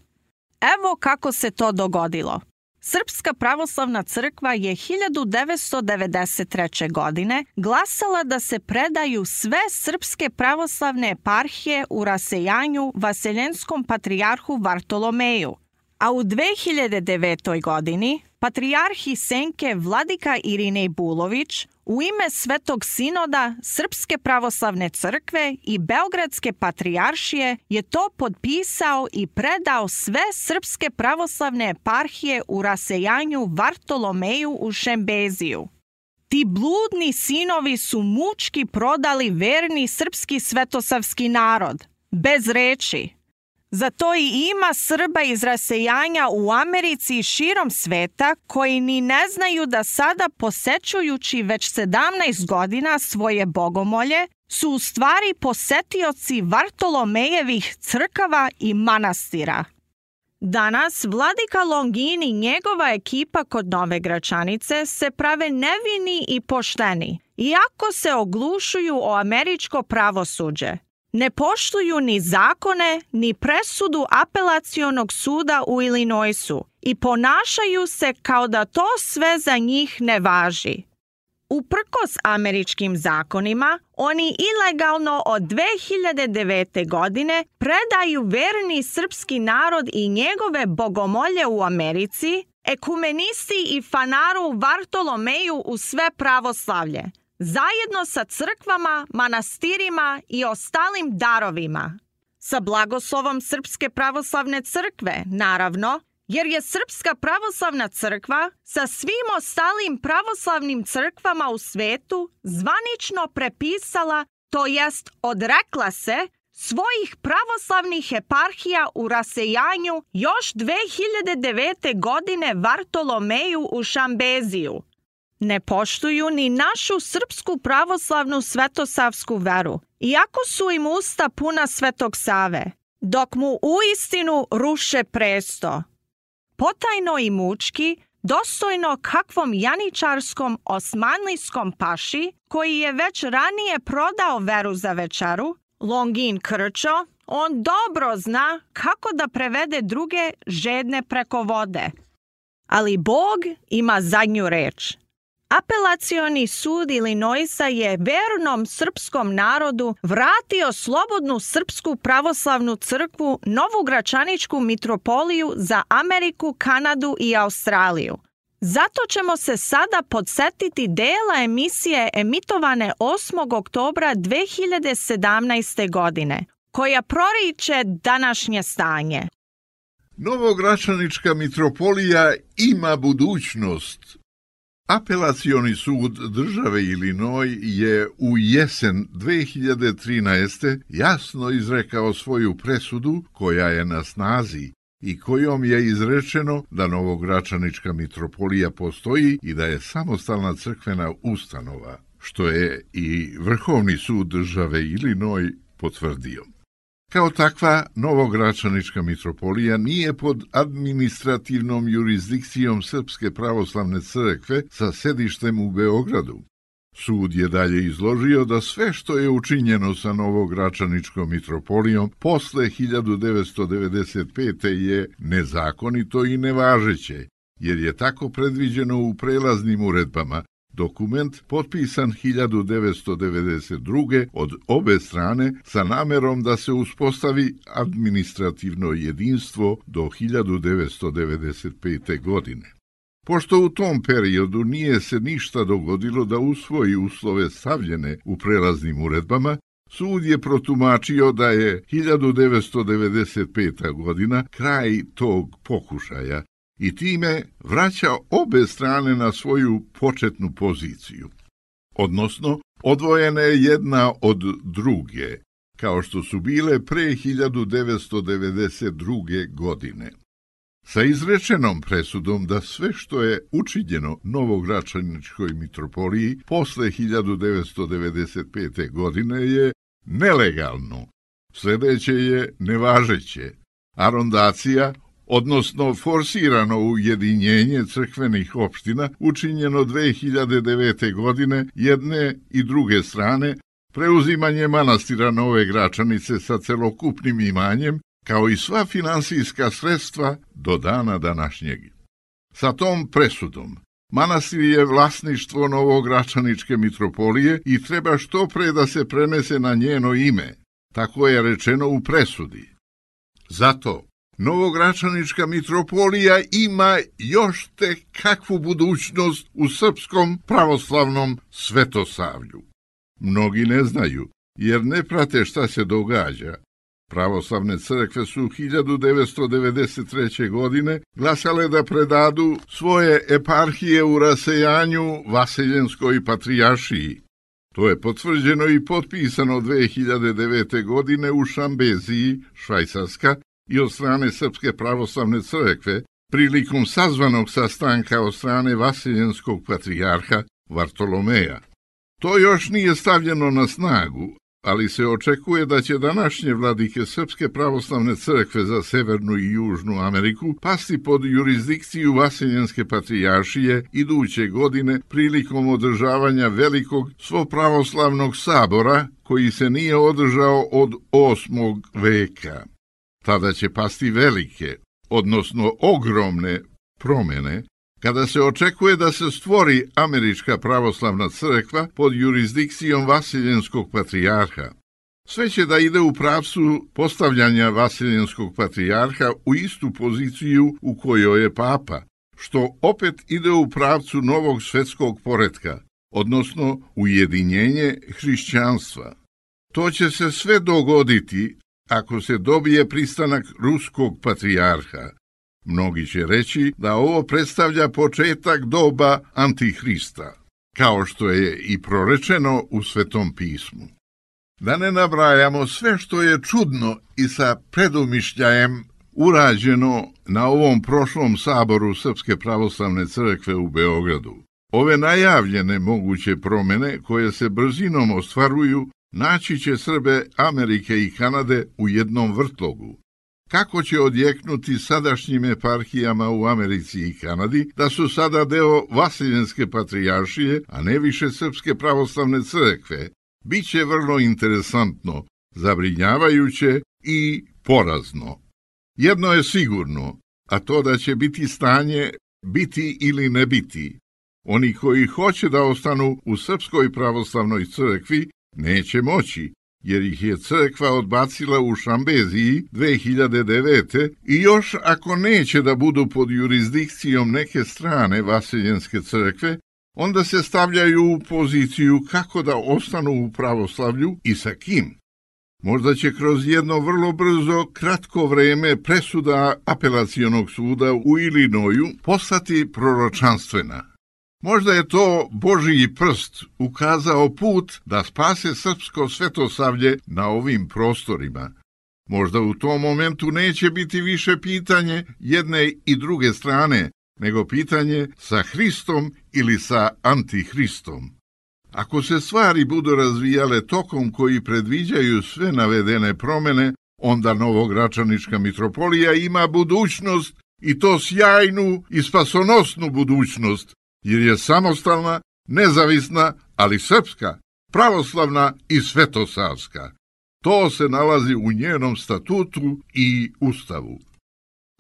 Evo kako se to dogodilo. Srpska pravoslavna crkva je hiljadu devetsto devedeset treće. godine glasala da se predaju sve srpske pravoslavne eparhije u rasejanju vaseljenskom patrijarhu Vartolomeju, a u dve hiljade devetoj. godini patrijarh Senke vladika Irinej Bulović u ime Svetog sinoda Srpske pravoslavne crkve i Beogradske patrijaršije je to potpisao i predao sve srpske pravoslavne eparhije u rasejanju Vartolomeju u Šembeziju. Ti bludni sinovi su mučki prodali verni srpski svetosavski narod, bez reči. Zato i ima Srba iz rasejanja u Americi i širom sveta koji ni ne znaju da sada posećujući već sedamnaest godina svoje bogomolje su u stvari posetioci Vartolomejevih crkava i manastira. Danas vladika Longin i njegova ekipa kod Nove Gračanice se prave nevini i pošteni, iako se oglušuju o američko pravosuđe. Ne poštuju ni zakone, ni presudu apelacionog suda u Illinoisu i ponašaju se kao da to sve za njih ne važi. Uprkos američkim zakonima, oni ilegalno od dve hiljade devete. godine predaju verni srpski narod i njegove bogomolje u Americi, ekumenisti i fanaru Vartolomeju u sve pravoslavlje, zajedno sa crkvama, manastirima i ostalim darovima. Sa blagoslovom Srpske pravoslavne crkve, naravno, jer je Srpska pravoslavna crkva sa svim ostalim pravoslavnim crkvama u svetu zvanično prepisala, to jest odrekla se, svojih pravoslavnih eparhija u rasejanju još dve hiljade devete. godine Vartolomeju u Šambeziju. Ne poštuju ni našu srpsku pravoslavnu svetosavsku veru, iako su im usta puna Svetog Save, dok mu uistinu ruše presto. Potajno i mučki, dostojno kakvom janičarskom osmanlijskom paši, koji je već ranije prodao veru za večeru, Longin Krčo, on dobro zna kako da prevede druge žedne preko vode. Ali Bog ima zadnju reč. Apelacioni sud Illinoisa je vernom srpskom narodu vratio slobodnu Srpsku pravoslavnu crkvu Novu Gračaničku mitropoliju za Ameriku, Kanadu i Australiju. Zato ćemo se sada podsetiti dela emisije emitovane osmog oktobra dve hiljade sedamnaeste. godine, koja proriče današnje stanje. Novogračanička mitropolija ima budućnost. Apelacioni sud države Illinois je u jesen dve hiljade trinaeste. jasno izrekao svoju presudu koja je na snazi i kojom je izrečeno da Novogračanička mitropolija postoji i da je samostalna crkvena ustanova, što je i Vrhovni sud države Illinois potvrdio. Kao takva, Novogračanička mitropolija nije pod administrativnom jurisdikcijom Srpske pravoslavne crkve sa sedištem u Beogradu. Sud je dalje izložio da sve što je učinjeno sa Novogračaničkom mitropolijom posle hiljadu devetsto devedeset pete. je nezakonito i nevažeće, jer je tako predviđeno u prelaznim uredbama, dokument potpisan hiljadu devetsto devedeset druge. od obe strane sa namerom da se uspostavi administrativno jedinstvo do hiljadu devetsto devedeset pete. godine. Pošto u tom periodu nije se ništa dogodilo da usvoji uslove stavljene u prelaznim uredbama, sud je protumačio da je hiljadu devetsto devedeset peta. godina kraj tog pokušaja i time vraća obe strane na svoju početnu poziciju. Odnosno, odvojene jedna od druge, kao što su bile pre hiljadu devetsto devedeset druge. godine. Sa izrečenom presudom da sve što je učinjeno Novogračaničkoj mitropoliji posle hiljadu devetsto devedeset pete. godine je nelegalno, sljedeće je nevažeće, arondacija, odnosno forsirano ujedinjenje crkvenih opština učinjeno dve hiljade devete. godine jedne i druge strane, preuzimanje manastira Nove Gračanice sa celokupnim imanjem, kao i sva finansijska sredstva do dana današnjeg. Sa tom presudom manastir je vlasništvo Novogračaničke mitropolije i treba što pre da se prenese na njeno ime, tako je rečeno u presudi. Zato Novogračanička mitropolija ima još tek kakvu budućnost u srpskom pravoslavnom svetosavlju. Mnogi ne znaju, jer ne prate šta se događa. Pravoslavne crkve su hiljadu devetsto devedeset treće. godine glasale da predadu svoje eparhije u rasejanju Vaseljenskoj patrijaršiji. To je potvrđeno i potpisano dve hiljade devete. godine u Šambeziji, Švajcarska, i od strane Srpske pravoslavne crkve prilikom sazvanog sastanka od strane Vaseljenskog patrijarha Vartolomeja. To još nije stavljeno na snagu, ali se očekuje da će današnje vladike Srpske pravoslavne crkve za Severnu i Južnu Ameriku pasti pod jurisdikciju Vaseljenske patrijaršije iduće godine prilikom održavanja velikog svopravoslavnog sabora koji se nije održao od osmog veka. Tada će pasti velike, odnosno ogromne promjene, kada se očekuje da se stvori Američka pravoslavna crkva pod jurisdikcijom Vaseljenskog patrijarha. Sve će da ide u pravcu postavljanja Vaseljenskog patrijarha u istu poziciju u kojoj je papa, što opet ide u pravcu novog svetskog poretka, odnosno ujedinjenje hrišćanstva. To će se sve dogoditi ako se dobije pristanak ruskog patrijarha. Mnogi će reći da ovo predstavlja početak doba Antihrista, kao što je i prorečeno u Svetom pismu. Da ne nabrajamo sve što je čudno i sa predumišljajem urađeno na ovom prošlom saboru Srpske pravoslavne crkve u Beogradu. Ove najavljene moguće promjene koje se brzinom ostvaruju naći će Srbe Amerike i Kanade u jednom vrtlogu. Kako će odjeknuti sadašnjim eparhijama u Americi i Kanadi da su sada deo Vaseljenske patrijaršije, a ne više Srpske pravoslavne crkve, bit će vrlo interesantno, zabrinjavajuće i porazno. Jedno je sigurno, a to da će biti stanje biti ili ne biti. Oni koji hoće da ostanu u Srpskoj pravoslavnoj crkvi neće moći, jer ih je crkva odbacila u Šambeziji dve hiljade devete. i još ako neće da budu pod jurisdikcijom neke strane Vaseljenske crkve, onda se stavljaju u poziciju kako da ostanu u pravoslavlju i sa kim. Možda će kroz jedno vrlo brzo, kratko vreme presuda apelacionog suda u Ilinoju postati proročanstvena. Možda je to Božji prst ukazao put da spase srpsko svetosavlje na ovim prostorima. Možda u tom momentu neće biti više pitanje jedne i druge strane, nego pitanje sa Hristom ili sa Antihristom. Ako se stvari budu razvijale tokom koji predviđaju sve navedene promjene, onda Novogračanička mitropolija ima budućnost, i to sjajnu i spasonosnu budućnost, jer je samostalna, nezavisna, ali srpska, pravoslavna i svetosavska. To se nalazi u njenom statutu i ustavu.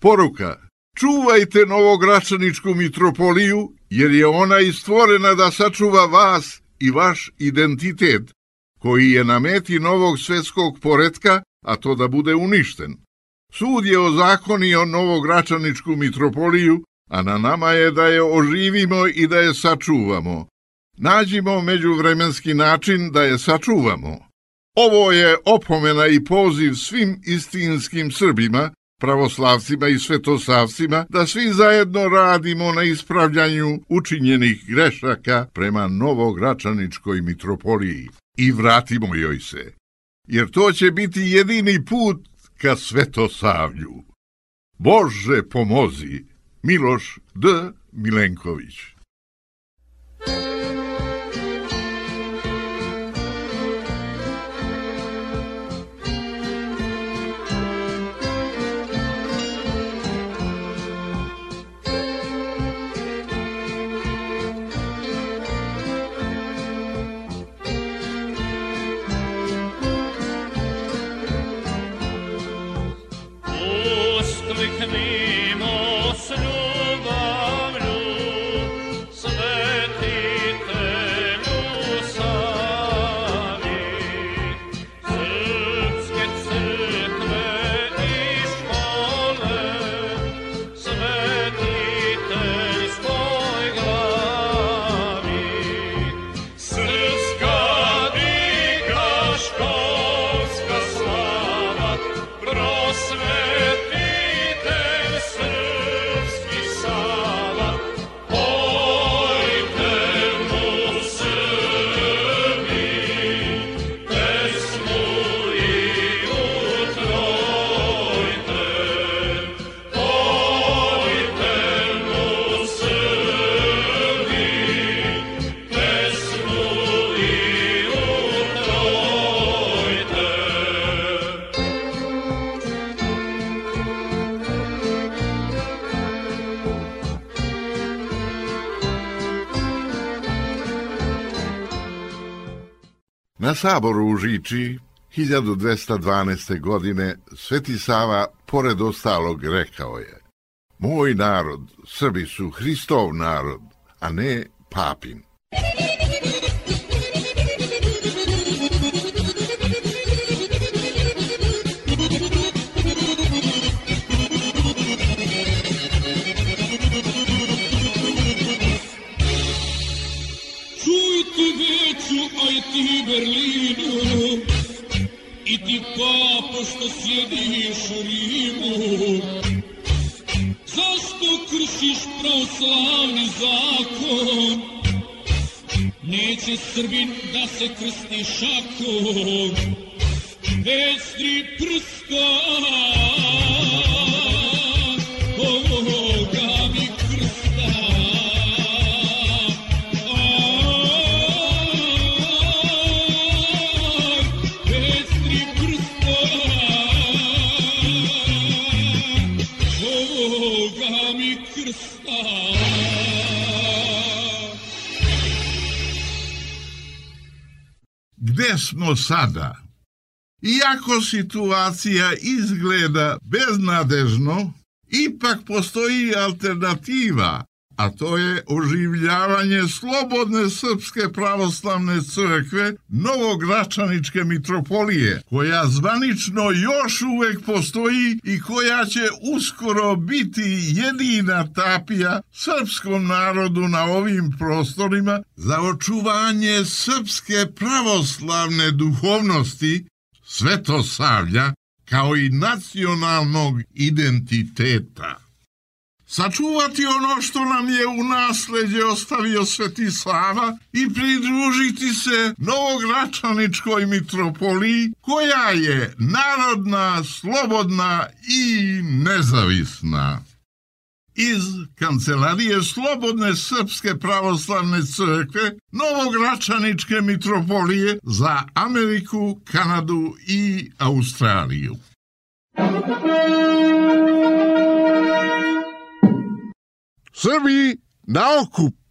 Poruka: čuvajte Novogračaničku mitropoliju, jer je ona i stvorena da sačuva vas i vaš identitet, koji je na meti novog svetskog poretka, a to da bude uništen. Sud je ozakonio Novogračaničku mitropoliju, a na nama je da je oživimo i da je sačuvamo. Nađimo međuvremenski način da je sačuvamo. Ovo je opomena i poziv svim istinskim Srbima, pravoslavcima i svetosavcima, da svi zajedno radimo na ispravljanju učinjenih grešaka prema Novogračaničkoj mitropoliji i vratimo joj se, jer to će biti jedini put ka Svetosavlju. Bože pomozi! Miloš D. Milenković. Na saboru u Žiči hiljadu dvesta dvanaeste. godine Sveti Sava, pored ostalog, rekao je: moj narod, Srbi su Hristov narod, a ne papin. Berlinu i ti papo što sjediš u Rimu, zašto kršiš pravoslavni zakon? Neće Srbin da se krsti šakom bez tri prsta ovoga mi krsta. Gde smo sada? Iako situacija izgleda beznadežno, ipak postoji alternativa, a to je oživljavanje slobodne Srpske pravoslavne crkve Novogračaničke mitropolije, koja zvanično još uvek postoji i koja će uskoro biti jedina tapija srpskom narodu na ovim prostorima za očuvanje srpske pravoslavne duhovnosti, Svetosavlja, kao i nacionalnog identiteta. Sačuvati ono što nam je u nasleđe ostavio Sveti Sava i pridružiti se Novogračaničkoj mitropoliji, koja je narodna, slobodna i nezavisna. Iz Kancelarije Slobodne Srpske pravoslavne crkve Novogračaničke mitropolije za Ameriku, Kanadu i Australiju. Srbi na okup!